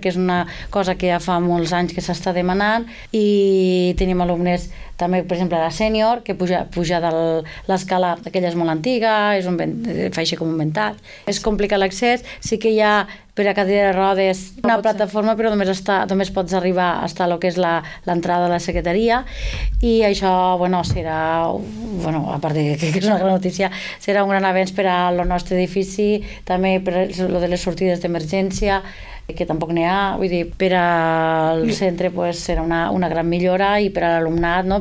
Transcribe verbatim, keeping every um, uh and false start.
que és una cosa que ja fa molts anys que s'està demanant, i tenim alumnes també, per exemple, la sènior, que puja, puja de l'escala, aquella és molt antiga, és un, fa així com un ventat, és complicat l'accés, sí que hi ha per a cadira de rodes una plataforma, però només, està, només pots arribar a estar el que és l'entrada de la secretaria, i això, bueno, serà, bueno, a part de que és una gran notícia, serà un gran avenç per al nostre edifici, també per lo de les sortides d'emergència, que tampoc n'hi ha, vull dir, per al centre pues, serà una, una gran millora, i per a l'alumnat, no?